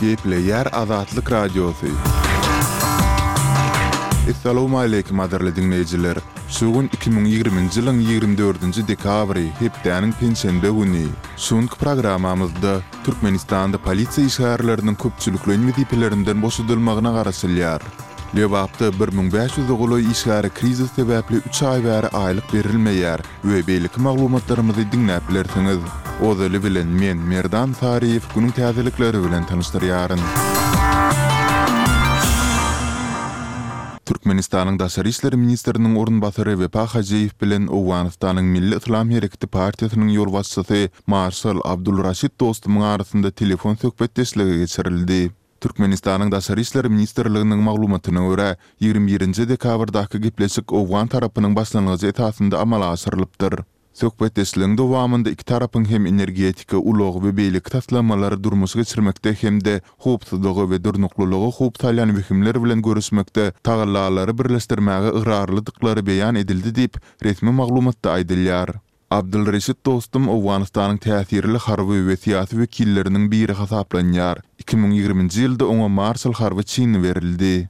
Gepleýär Azatlyk Radiosy. Essalawmaleýkim gadyrly diňleýjiler! Şu gün 2020-nji ýylyň 24-nji dekabry, hepdäniň penşenbe güni. Şu günki programmamyzda Türkmenistanda polisiýa işgärleriniň köpçülikleýin wezipelerinden boşadylmagyna garaşylýar. Lebapda 1500-e golaý işgäre krizis sebäpli üç aý bäri aýlyk berilmeýär we beýleki maglumatlarymyzy diňläp bilersiňiz. Ozaly bilen men, Merdan Saryýew günüň täzelikleri bilen tanyşdyrýaryn. Türkmenistanyň Daşary işler ministriniň orunbasary Wepa Hajyýew bilen Owganystanyň Milli Yslam Hereketi partiýasynyň ýolbaşçysy marşal Abdul Raşid Dostumyň arasynda telefon söhbetdeşligi geçirildi. Türkmenistanyň Daşary işler ministrliginiň maglumatyna görä, 21 nji dekabrdaky gepleşik owgan tarapynyň başlangyjy esasynda amala aşyrylypdyr. Söhbetdeşligiň dowamynda iki tarapyň hem energetika, ulag we beýleki taslamalary durmuşa geçirmekde hem-de howpsuzlyga we durnuklylyga howp salýan wehimler bilen göreşmekde tagallalary birleşdirmäge ygrarlydyklary beýan edildi diýip, resmi maglumatda aýdylýar. Abdylreşit Dostum Owganystanyň täsirli harby we syýasy wekilleriniň biri hasaplanýar. 2020-nji ýylda oňa marşal harby çyny berildi.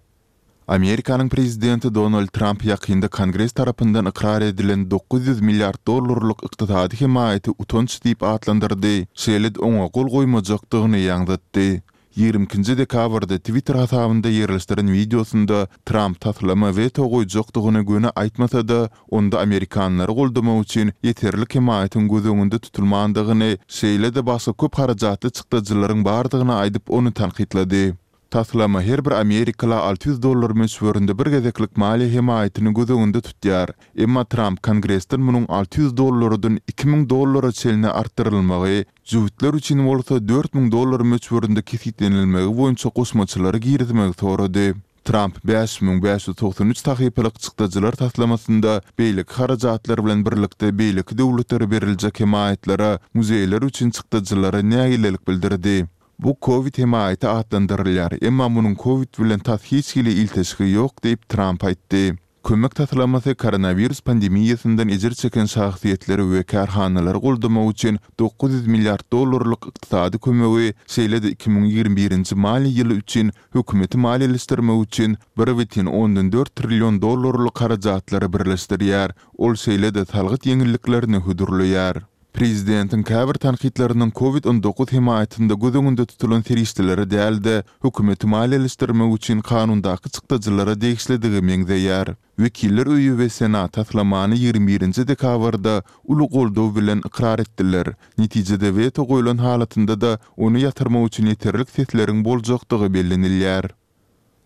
Amerikanyň prezidenti Donald Tramp ýakynda Kongres tarapyndan ykrar edilen 900 milliard dollarlyk ykdysady hemaýaty utanç diýip atlandyrdy, şeýle-de oňa gol goýmajakdygyny ýaňzytdy. 22-nji dekabrda Twitter hasabynda ýerleşdiren wideosynda Tramp taslama weto goýjakdygyny göni aýtmasa-da, onda amerikanlary goldamak üçin ýeterlik hemaýatyň göz öňünde tutulmandygyny, şeýle-de başga köp harajatly çykdajylaryň bardygyny aýdyp, ony tankytlady. Taslama her bir amerikala 600 dollar möçberinde bir gezeklik maliýe hemaýatyny göz öňünde tutýar. Emma Tramp Kongresden munuň 600 dollardan 2000 dollara çenli artdyrylmagy, jübütler üçin bolsa 4000 dollar möçberinde kesgitlenilmegi boýunça goşmaçalary girizmegi sorady. Tramp 5593 sahypalyk çykdajylar taslamasynda beýleki harajatlar bilen birlikde beýleki döwletlere beriljek hemaýatlara, muzeýler üçin çykdajylara nägilelik bildirdi. Bu kowid hemaýaty atlandyrylýar, emma munuň kowid bilen tas hiç hili ilteşigi ýok diýip, Tramp aýtdy. Kömek taslamasy koronawirus pandemiýasyndan ejir çeken şahsyýetleri we kärhanalary goldamak üçin 900 milliard dollarlyk ykdysady kömegi, şeýle-de 2021-nji maliýe ýyly üçin hökümeti maliýeleşdirmek üçin 1,4 trillion dollarlyk harajatlary birleşdirýär. Ol şeýle-de salgyt ýeňilliklerini hödürleýär. Prezidentiň käbir tankytlarynyň Covid 19 hemaýatynda göz öňünde tutulan serişdelere däl-de, hökümeti maliýeleşdirmek üçin kanundaky çykdajylara degişlidigi meňzeýär. Wekiller öýi we Senat taslamany 21 nji dekabrda uly goldaw bilen ykrar etdiler. Netijede weto goýlan halatynda-da ony ýatyrmak üçin ýeterlik sesleriň boljakdygy bellenilýär.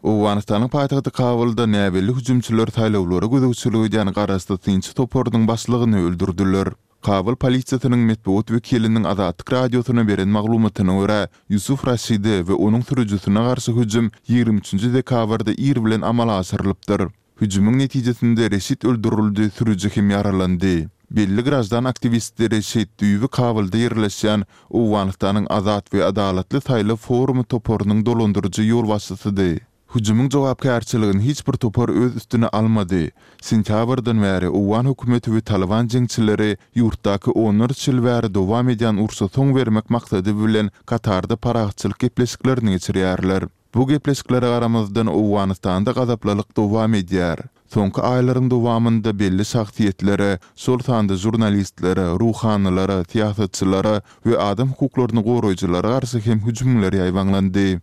Owganystanyň paýtagty Kabulda näbelli hüjümçiler saýlawlara gözegçilik edýän garaşsyz synçy toparynyň başlygyny öldürdiler. Kabul polisiýasynyň metbugat wekiliniň Azatlyk Radiosyna beren maglumatyna görä, Ýusuf Raşide we onuň sürüjisine garşy hüjüm 23 nji dekabrda ir bilen amala aşyrylypdyr. Hüjümiň netijesinde Reşit öldürildi, sürüji hem ýaralandy. Belli graždan aktiwisti Reşit düýbi Kabulda ýerleşýän Owganystanyň Azat we Adalatly saýlaw forumy toparynyň dolandyryjy ýolbaşçysydy. Hüjümiň jogapkärçiligini hiç bir topar öz üstüne almady. Sentýabrdan bäri owgan hökümeti we Talyban jeňçileri ýurtdaky onlarça ýyl bäri dowam edýän urşa soň bermek maksady bilen Katarda parahatçylyk gepleşiklerini geçirýärler. Bu gepleşiklere garamazdan, Owganystanda gazaplylyk dowam edýär. Soňky aýlaryň dowamynda belli şahsyýetlere, şol sanda žurnalistlere, ruhanylara, syýasatçylara we adam hukuklaryny goraýjylara garşy hem hüjümler ýaýbaňlandy.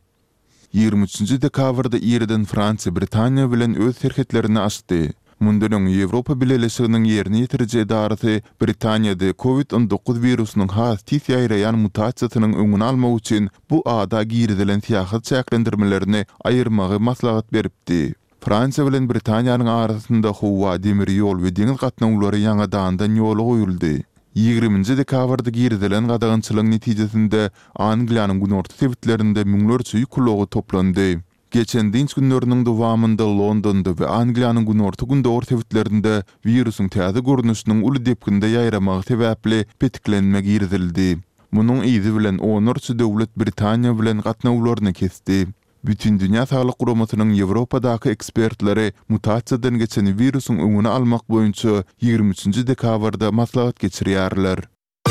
23 nji dekabrda irden Fransiýa Britaniýa bilen öz serhetlerini açdy. Mundan öň Ýewropa Bileleşiginiň ýerine ýetiriji edarasy Britaniýada Covid 19 wirusynyň has tiz ýaýraýan mutasiýasynyň öňüni almak üçin bu ada girizilen syýahat çäklendirmelerini aýyrmagy maslahat beripdi. Fransiýa bilen Britaniýanyň arasynda howa, demir ýol we deňiz gatnawlary ýaňadandan ýola goýuldy. 20-nji dekabrda girizilen gadagançylygyň netijesinde Angliýanyň günorta sebitlerinde müňlerçe ýük ulagy toplandy. Geçen dynç günleriniň dowamynda Londonda we Angliýanyň günorta-gündogar sebitlerinde wirusyň täze görnüşiniň uly depginde ýaýramagy sebäpli petiklenme girizildi. Munuň yzy bilen onlarça döwlet Britaniýa bilen gatnawlaryny kesdi. Bütindünýä Saglyk Guramasynyň Ýewropadaky ekspertleri mutasiýadan geçen wirusyň öňüni almak boýunça 23 nji dekabrda maslahat geçirýärler.